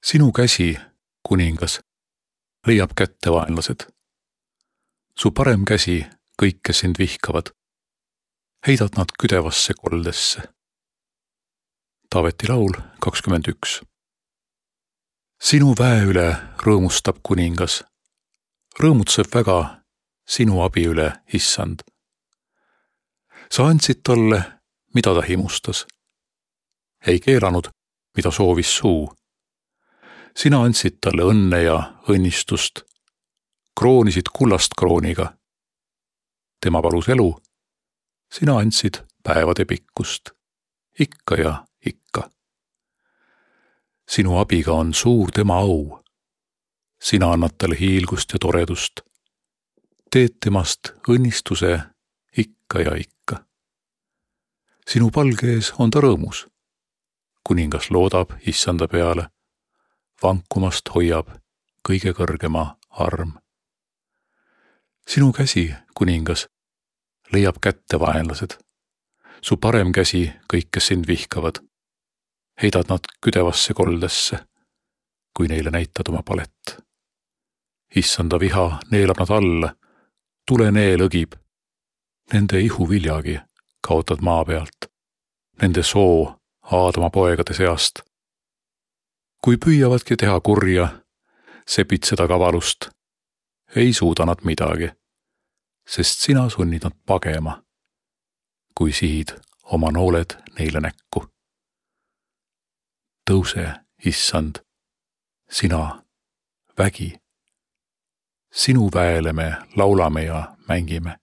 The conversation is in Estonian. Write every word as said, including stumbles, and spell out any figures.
Sinu käsi, kuningas, leiab kätte vaenlased. Su parem käsi kõik, kes sind vihkavad, heidad nad küdevasse koldesse. Taaveti laul kakskümmend üks. Sinu väe üle rõõmustab kuningas, rõõmutseb väga sinu abi üle, issand. Sa andsid talle, mida ta himustas. Ei keelanud, mida soovis suu. Sina andsid talle õnne ja õnnistust, kroonisid kullast krooniga. Tema palus elu, sina andsid päevade pikkust, ikka ja ikka. Sinu abiga on suur tema au. Sina annad talle hiilgust ja toredust. Teed temast õnnistuse ikka ja ikka. Sinu palge ees on ta rõõmus. Kuningas loodab issanda peale. Vankumast hoiab kõige kõrgema arm. Sinu käsi, kuningas, leiab kätte vaenlased. Su parem käsi kõik, kes sind vihkavad. Heidad nad küdevasse koldesse, kui neile näitad oma palet. Issanda viha neelab nad alla, tuleneel õgib. Nende ihu viljagi kaotad maa pealt, nende soo Aadama poegade seast. Kui püüavadki teha kurja, sepid seda kavalust, ei suuda nad midagi, sest sina sunnid nad pagema, kui sihid oma nooled neile näkku. Tõuse, issand, sina, vägi. Sinu väele me laulame ja mängime.